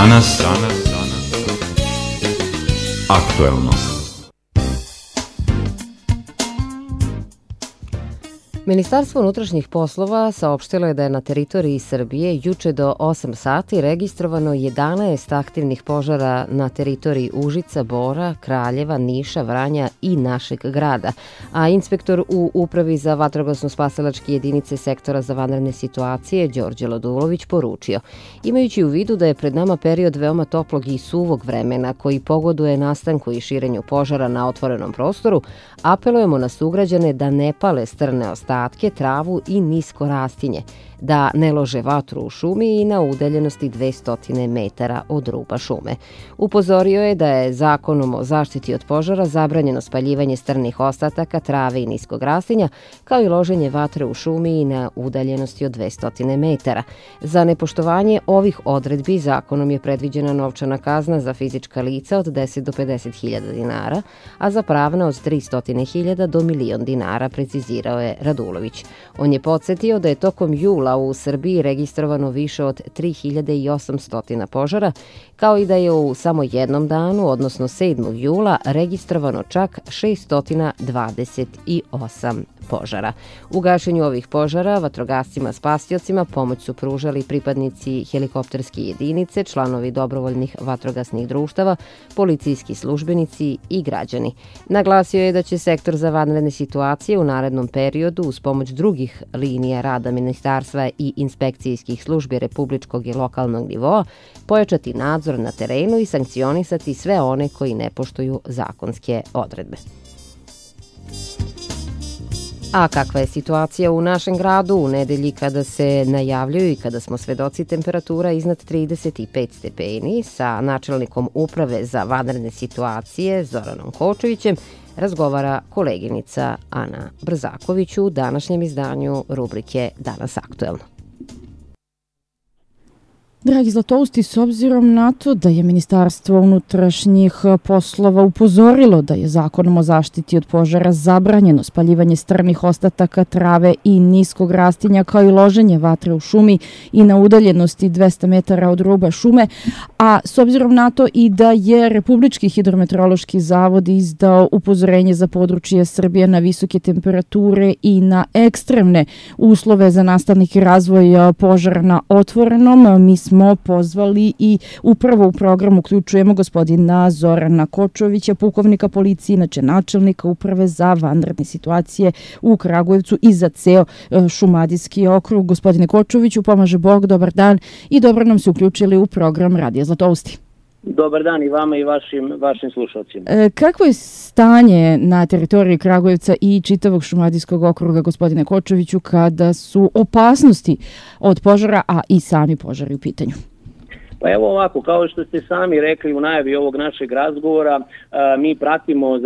Danas aktuelno. Ministarstvo unutrašnjih poslova saopštilo je da je na teritoriji Srbije juče do 8 sati registrovano 11 aktivnih požara na teritoriji Užica, Bora, Kraljeva, Niša, Vranja i našeg grada, a inspektor u Upravi za vatrogasno-spasilačke jedinice Sektora za vanredne situacije Đorđe Ladulović poručio: imajući u vidu da je pred nama period veoma toplog i suvog vremena koji pogoduje nastanku i širenju požara na otvorenom prostoru, apelujemo na sugrađane da ne pale strne ostatke, travu i nisko rastinje, da ne lože vatru u šumi i na udaljenosti 200 metara od ruba šume. Upozorio je da je Zakonom o zaštiti od požara zabranjeno spaljivanje strnih ostataka, trave i niskog rastinja, kao i loženje vatre u šumi i na udaljenosti od 200 metara. Za nepoštovanje ovih odredbi zakonom je predviđena novčana kazna za fizička lica od 10 do 50.000 dinara, a za pravna od 300.000 do 1.000.000 dinara, precizirao je Radulović. On je podsjetio da je tokom jula u Srbiji registrovano više od 3.800 požara, kao i da je u samo jednom danu, odnosno 7. jula, registrovano čak 628 požara. U gašenju ovih požara vatrogascima spasiocima pomoć su pružali pripadnici helikopterske jedinice, članovi dobrovoljnih vatrogasnih društava, policijski službenici i građani. Naglasio je da će Sektor za vanredne situacije u narednom periodu uz pomoć drugih linija rada ministarstva i inspekcijskih službi republičkog i lokalnog nivoa pojačati nadzor na terenu i sankcionisati sve one koji ne poštuju zakonske odredbe. A kakva je situacija u našem gradu u nedelji kada se najavljuju i kada smo svedoci temperatura iznad 35 stepeni, sa načelnikom Uprave za vanredne situacije Zoranom Kočevićem razgovara koleginica Ana Brzaković u današnjem izdanju rubrike Danas aktuelno. Dragi Zlatousti, s obzirom na to da je Ministarstvo unutrašnjih poslova upozorilo da je Zakonom o zaštiti od požara zabranjeno spaljivanje strnih ostataka, trave i niskog rastinja, kao i loženje vatre u šumi i na udaljenosti 200 metara od ruba šume, a s obzirom na to i da je Republički hidrometeorološki zavod izdao upozorenje za područje Srbije na visoke temperature i na ekstremne uslove za nastanak i razvoj požara na otvorenom, mi smo pozvali i upravo u program uključujemo gospodina Zorana Kočovića, pukovnika policije, inače načelnika Uprave za vanredne situacije u Kragujevcu i za ceo Šumadijski okrug. Gospodine Kočoviću, pomaže Bog, dobar dan i dobro nam se uključili u program Radija Zlatousti. Dobar dan i vama i vašim slušalcima. Kakvo je stanje na teritoriji Kragujevca i čitavog Šumadijskog okruga, gospodine Kočoviću, kada su opasnosti od požara, a i sami požari u pitanju? Pa evo ovako, kao što ste sami rekli u najavi ovog našeg razgovora, mi pratimo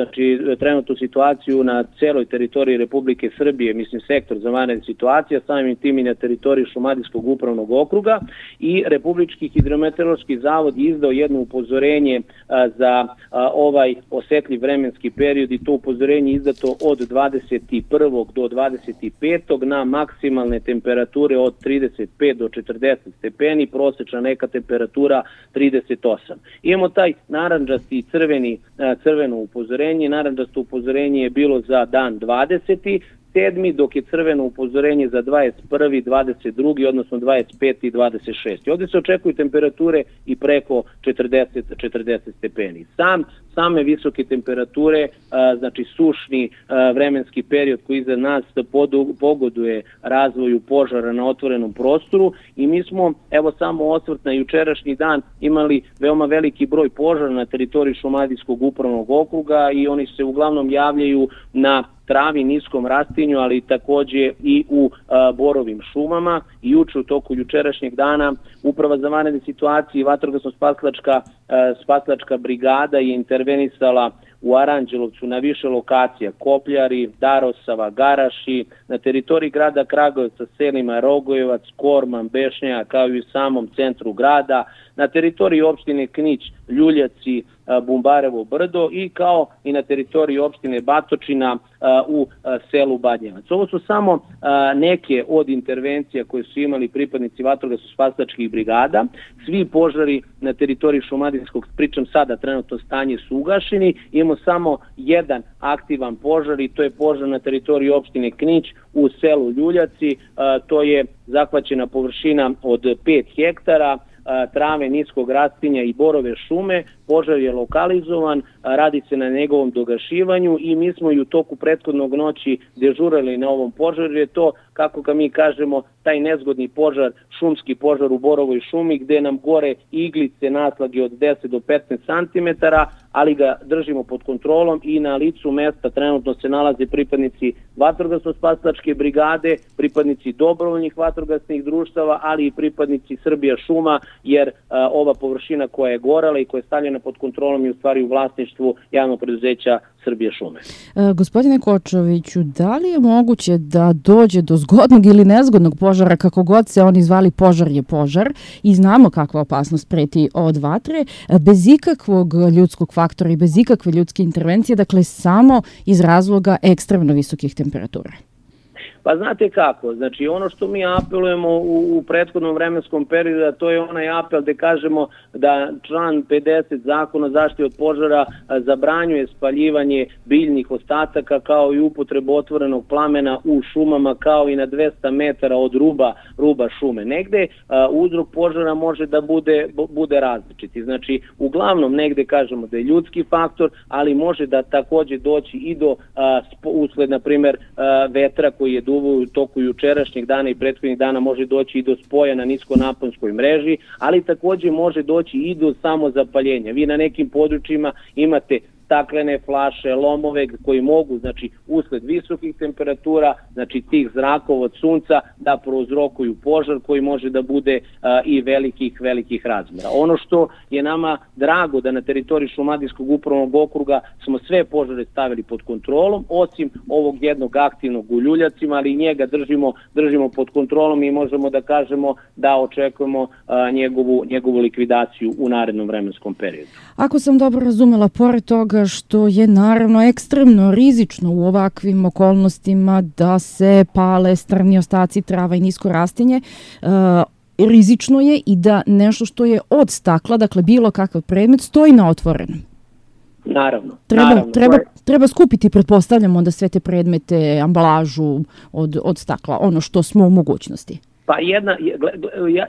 trenutnu situaciju na celoj teritoriji Republike Srbije, mislim Sektor za vanredne situacije, samim tim i na teritoriji Šumadijskog upravnog okruga, i Republički hidrometeorološki zavod je izdao jedno upozorenje za ovaj osetljiv vremenski period, i to upozorenje je izdato od 21. do 25. na maksimalne temperature od 35 do 40 stepeni, prosečna neka temperatura 38. Imamo taj narandžasti i crveno upozorenje. Narandžasto upozorenje je bilo za dan 20. 7. dok je crveno upozorenje za 21., 22., odnosno 25. i 26. Ovdje se očekuju temperature i preko 40 stepeni. Same visoke temperature, znači sušni vremenski period koji iza nas pogoduje razvoju požara na otvorenom prostoru, i mi smo, evo samo osvrt na jučerašnji dan, imali veoma veliki broj požara na teritoriji Šumadijskog upravnog okruga, i oni se uglavnom javljaju na travi, niskom rastinju, ali takođe i u borovim šumama. I juče u toku jučerašnjeg dana Uprava za vanredne situacije i vatrogasno-spasilačka brigada je intervenisala u Aranđelovcu na više lokacija: Kopljari, Darosava, Garaši, na teritoriji grada Kragujevca, selima Rogojevac, Korman, Bešnja, kao i u samom centru grada, na teritoriji opštine Knić, Ljuljaci, Bumbarevo brdo i kao i na teritoriji opštine Batočina u selu Badnjevac. Ovo su samo neke od intervencija koje su imali pripadnici vatrogasno-spasilačkih brigada. Svi požari na teritoriji Šumadijskog, pričam sada, trenutno stanje su ugašeni. Imamo samo jedan aktivan požar i to je požar na teritoriji opštine Knić u selu Ljuljaci. To je zahvaćena površina od 5 hektara trave niskog rastinja i borove šume. Požar je lokalizovan, radi se na njegovom dogašivanju i mi smo i u toku prethodnog noći dežurali na ovom požaru. Je to, kako ga mi kažemo, taj nezgodni požar, šumski požar u borovoj šumi gde nam gore iglice naslage od 10 do 15 cm, ali ga držimo pod kontrolom i na licu mesta trenutno se nalaze pripadnici vatrogasno-spasilačke brigade, pripadnici dobrovoljnih vatrogasnih društava, ali i pripadnici Srbija šuma, jer ova površina koja je gorela i koja je stavljena pod kontrolom je u stvari u vlasništvu javnog preduzeća Srbija šume. Gospodine Kočoviću, da li je moguće da dođe do zgodnog ili nezgodnog požara, kako god se oni zvali, požar je požar i znamo kakva opasnost preti od vatre, bez ikakvog ljudskog faktora i bez ikakve ljudske intervencije, dakle samo iz razloga ekstremno visokih temperatura? Pa znate kako, znači ono što mi apelujemo u prethodnom vremenskom periodu, to je onaj apel gde kažemo da član 50 Zakona o zaštiti od požara zabranjuje spaljivanje biljnih ostataka kao i upotrebu otvorenog plamena u šumama kao i na 200 metara od ruba šume. Negde uzrok požara može da bude različiti. Znači uglavnom negde kažemo da je ljudski faktor, ali može da takođe doći i do usled, na primer, vetra koji je duvao u toku jučerašnjeg dana i prethodnih dana, može doći i do spoja na niskonaponskoj mreži, ali takođe može doći i do samozapaljenja. Vi na nekim područjima imate staklene flaše, lomove koji mogu, znači, usled visokih temperatura, znači tih zrakova od sunca, da prouzrokuju požar koji može da bude i velikih razmera. Ono što je nama drago da na teritoriji Šumadijskog upravnog okruga smo sve požare stavili pod kontrolom, osim ovog jednog aktivnog u Ljuljacima, ali i njega držimo pod kontrolom i možemo da kažemo da očekujemo njegovu likvidaciju u narednom vremenskom periodu. Ako sam dobro razumela, pored toga što je naravno ekstremno rizično u ovakvim okolnostima da se pale strni ostaci trava i nisko rastinje, rizično je i da nešto što je od stakla, dakle bilo kakav predmet, stoji na otvorenom. Naravno. Treba skupiti, pretpostavljamo, onda sve te predmete, ambalažu od stakla, ono što smo u mogućnosti. Pa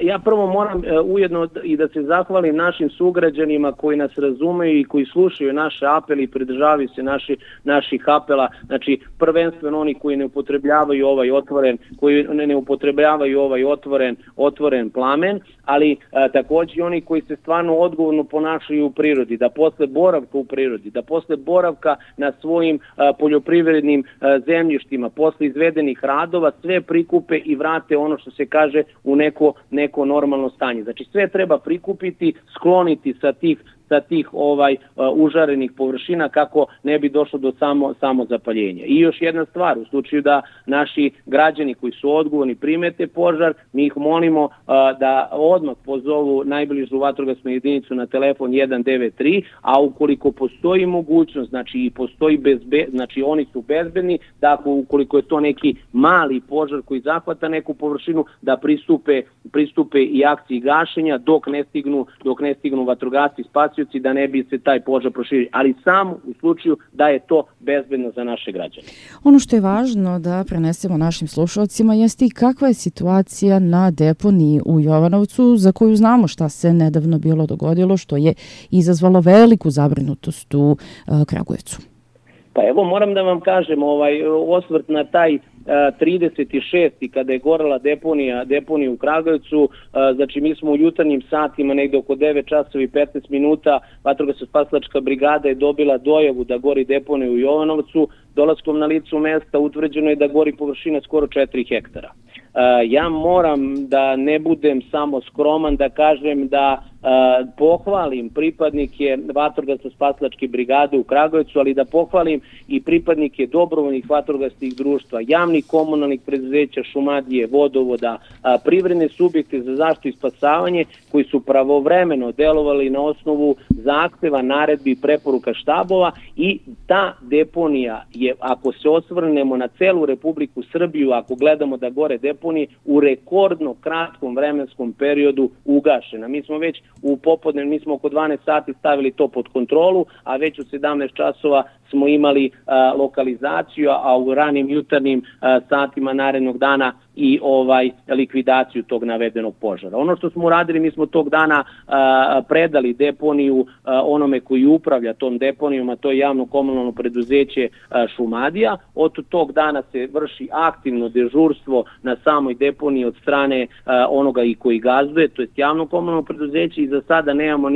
ja prvo moram ujedno i da se zahvalim našim sugrađanima koji nas razumeju i koji slušaju naše apele i pridržavaju se naših apela, znači prvenstveno oni koji ne upotrebljavaju ovaj otvoren plamen, ali takođe oni koji se stvarno odgovorno ponašaju u prirodi, da posle boravka u prirodi, da posle boravka na svojim poljoprivrednim zemljištima, posle izvedenih radova, sve prikupe i vrate ono što se kaže u neko normalno stanje. Znači sve treba prikupiti, skloniti sa tih užarenih površina kako ne bi došlo do samozapaljenja. I još jedna stvar, u slučaju da naši građani koji su odgovorni primete požar, mi ih molimo da odmah pozovu najbližu vatrogasnu jedinicu na telefon 193, a ukoliko postoji mogućnost, znači i postoji znači oni su bezbedni, da ukoliko je to neki mali požar koji zahvata neku površinu, da pristupe i akciji gašenja dok ne stignu vatrogasci, spasioci, da ne bi se taj požar proširio, ali samo u slučaju da je to bezbedno za naše građane. Ono što je važno da prenesemo našim slušalcima jeste i kakva je situacija na deponiji u Jovanovcu, za koju znamo šta se nedavno bilo dogodilo, što je izazvalo veliku zabrinutost u Kragujevcu. Pa evo moram da vam kažem, osvrt na taj 36. kada je gorela deponija u Kragujevcu, znači mi smo u jutarnjim satima, negde oko 9 časova i 15 minuta, vatrogasno-spasilačka brigada je dobila dojavu da gori deponija u Jovanovcu. Dolaskom na licu mesta utvrđeno je da gori površina skoro 4 hektara. Ja moram da ne budem samo skroman, da kažem da pohvalim pripadnike vatrogasno-spasilačke brigade u Kragujevcu, ali da pohvalim i pripadnike dobrovoljnih vatrogasnih društva, javnih komunalnih preduzeća, Šumadije, vodovoda, privredne subjekte za zaštitu i spasavanje koji su pravovremeno delovali na osnovu zahteva, naredbi i preporuka štabova i ta deponija je, ako se osvrnemo na celu Republiku Srbiju, ako gledamo da gore deponije, u rekordno kratkom vremenskom periodu ugašena. Mi smo već u popodne, mi smo oko 12 sati stavili to pod kontrolu, a već u 17 časova smo imali lokalizaciju, a u ranim jutarnjim satima narednog dana i likvidaciju tog navedenog požara. Ono što smo uradili, mi smo tog dana predali deponiju onome koji upravlja tom deponijom, a to je javno komunalno preduzeće Šumadija. Od tog dana se vrši aktivno dežurstvo na samoj deponiji od strane onoga i koji gazduje, to je javno komunalno preduzeće, i za sada nemamo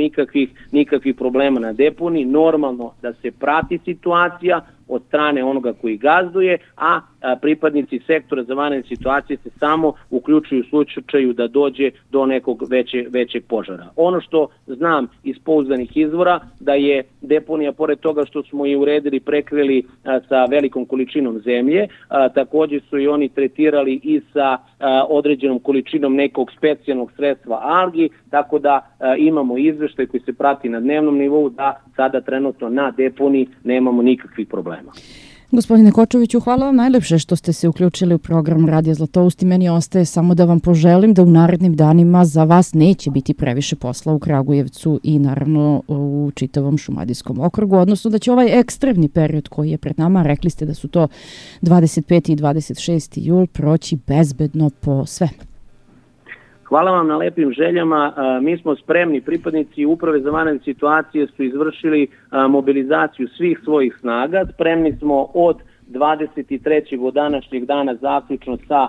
nikakvih problema na deponiji. Normalno da se prati situacija od strane onoga koji gazduje, a pripadnici sektora za vanredne situacije se samo uključuju u slučaju da dođe do nekog većeg požara. Ono što znam iz pouzdanih izvora, da je deponija, pored toga što smo je uredili, prekrili sa velikom količinom zemlje, takođe su i oni tretirali i sa određenom količinom nekog specijalnog sredstva algi, tako da imamo izveštaj koji se prati na dnevnom nivou da sada trenutno na deponiji nemamo nikakvih problema. Gospodine Kočoviću, hvala vam najlepše što ste se uključili u program Radija Zlatoust i meni ostaje samo da vam poželim da u narednim danima za vas neće biti previše posla u Kragujevcu i naravno u čitavom Šumadijskom okrugu, odnosno da će ovaj ekstremni period koji je pred nama, rekli ste da su to 25. i 26. jul, proći bezbedno po sve. Hvala vam na lepim željama. Mi smo spremni, pripadnici Uprave za vanredne situacije su izvršili mobilizaciju svih svojih snaga. Spremni smo od 23. od današnjeg dana zaključno sa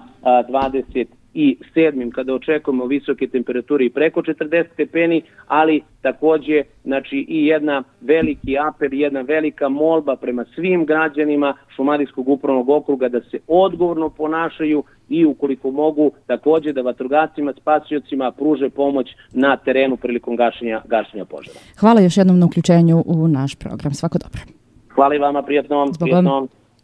27. kada očekujemo visoke temperature i preko 40 stepeni, ali takođe i jedna veliki apel, jedna velika molba prema svim građanima Šumadijskog upravnog okruga da se odgovorno ponašaju i ukoliko mogu takođe da vatrogascima, spasiocima pruže pomoć na terenu prilikom gašenja požara. Hvala još jednom na uključenju u naš program. Svako dobro. Hvala i vama, prijatno.